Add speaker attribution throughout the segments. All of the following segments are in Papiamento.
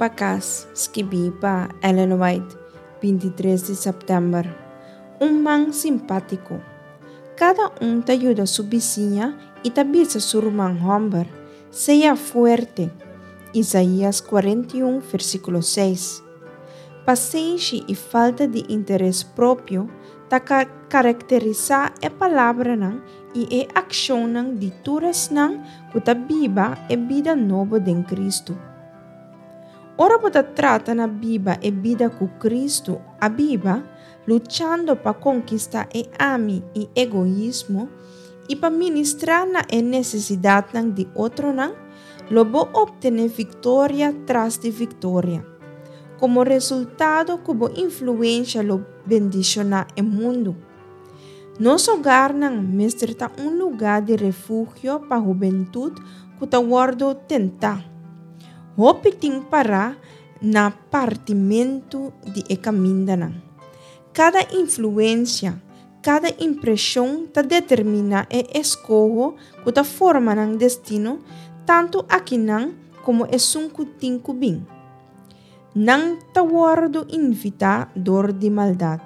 Speaker 1: pa kas, skibí pa Ellen White, 23 di sèptèmber. Un man simpátiko. Kada un ta yuda su bisiña i ta bisa su ruman hòmber, Sea fuerte. Isaías 41, versíkulo 6. Pasenshi i falta di interes propio ta karakterisá e palabranan i e akshonnan di tur esnan ku ta biba e bida nobo den Kristu. Ora bo ta trata na biba e bida ku Kristu a biba, luchando pa konkistá e ami i egoismo i pa ministrá na e nesesidatnan di otronan, lo bo optené viktoria tras di viktoria. Komo resultado ku bo influensha lo bendishoná e mundu. Nos hogarnan mester ta un lugá di refugio pa hubentut ku ta wòrdu tentá. Hopi tin pará na partimentu di e kamindanan. Kada influensia, kada impreshon ta determiná e eskoho ku ta forma nan destino tantu akinan komo esun ku tin ku bin. Nan ta wòrdu invitá dor di maldat.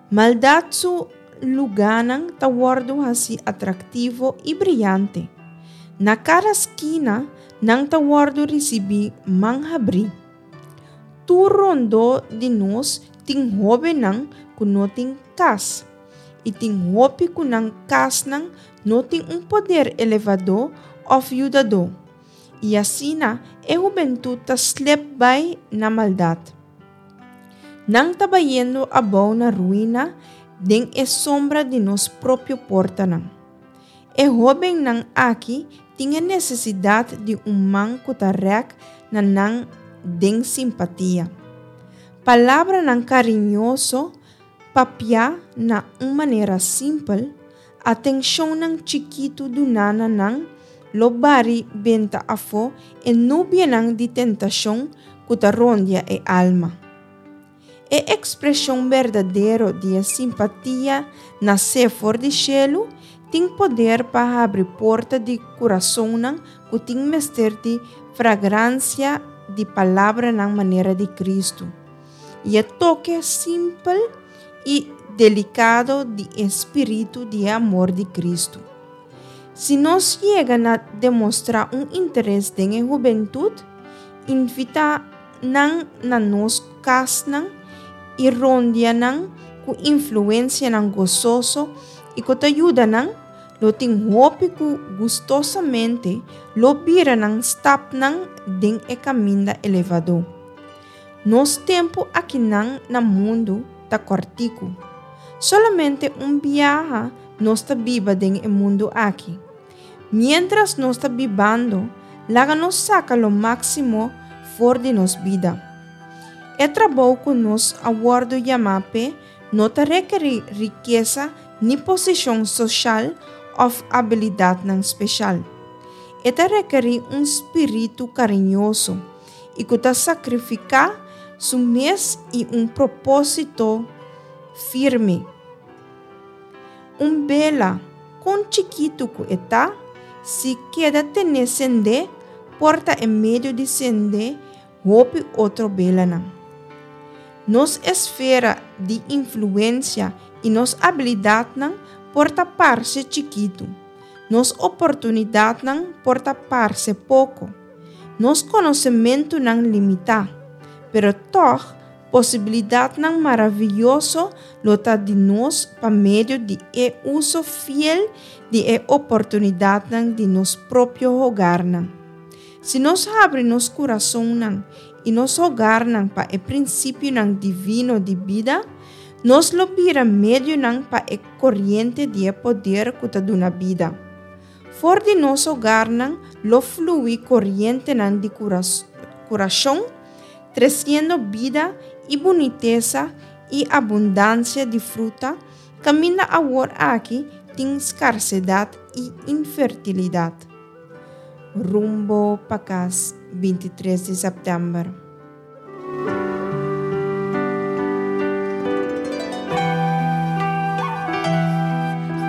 Speaker 1: Maldat su lugánan ta wòrdu hasí atraktivo i briante. Na kada skina nan ta wòrdu risibí man habrí. Tur rondó di nos tin hóbennan ku no tin kas, i tin hopi ku nan kasnan no tin un poder elevadó òf yudadó. I asina e hubentut ta slep bai na maldat. Nan ta bayendo abou na ruina den e sombra di nos propio portanan. E hóbennan aki tin e nesesidat di un man ku ta rèk na nan den simpatia. Palabranan kariñoso papiá na un manera simpel Atenshonnan chikitu duná na nan lo bari benta afó e nubianan di tentashon ku ta rondia e alma. E ekspreshon berdadero di e simpatia nasé for di shelu tin poder pa habri porta di kurasonnan ku tin mester di fragransia di palabranan manera di Kristu i e toke simpel i delikado di e spiritu di e amor di Kristu. Si nos yega na demostrá un interes den e hubentut, invitá nan na nos kasnan i rondia nan ku influensianan gososo i ku ta yuda nan, lo tin hopi ku gustosamente lo bira nan stapnan den e kaminda elevadó. Nos tempu akinan na mundu ta kòrtiku. Solamente un biaha nos ta biba den e mundu aki. Miéntras nos ta bibando, laga nos saka lo máksimo for di nos bida. E trabou ku nos a wòrdu yamá p'e no ta rekerí rikesa ni posishon soshal òf abilidatnan speshal. E ta rekerí un spiritu kariñoso i ku ta sakrifiká su mes i un propósito firme. Un bela, kon chikitu ku e ta, si keda ten'é sendé, por ta e medio di sende hopi otro belanan. Nos esfera di influensia i nos abilidatnan por ta parse chikitu. Nos oportunidatnan por ta parse poko. Nos konosementunan limitá, pero tòg posibilidatnan maravioso lo ta di nos pa medio di e uso fiel di e oportunidatnan di nos propio hogarnan. Si nos habri nos kurasonnan i nos hogarnan pa e prinsipionan divino di bida, nos lo bira medionan pa e koriente di e poder ku ta duna bida. For di nos hogarnan lo flui korientenan di kurashon, tresiendo bida i bunitesa i abundansia di fruta kaminda awor aki tin skarsedat i infertilidat. Rumbo pa kas 23 di sèptèmber.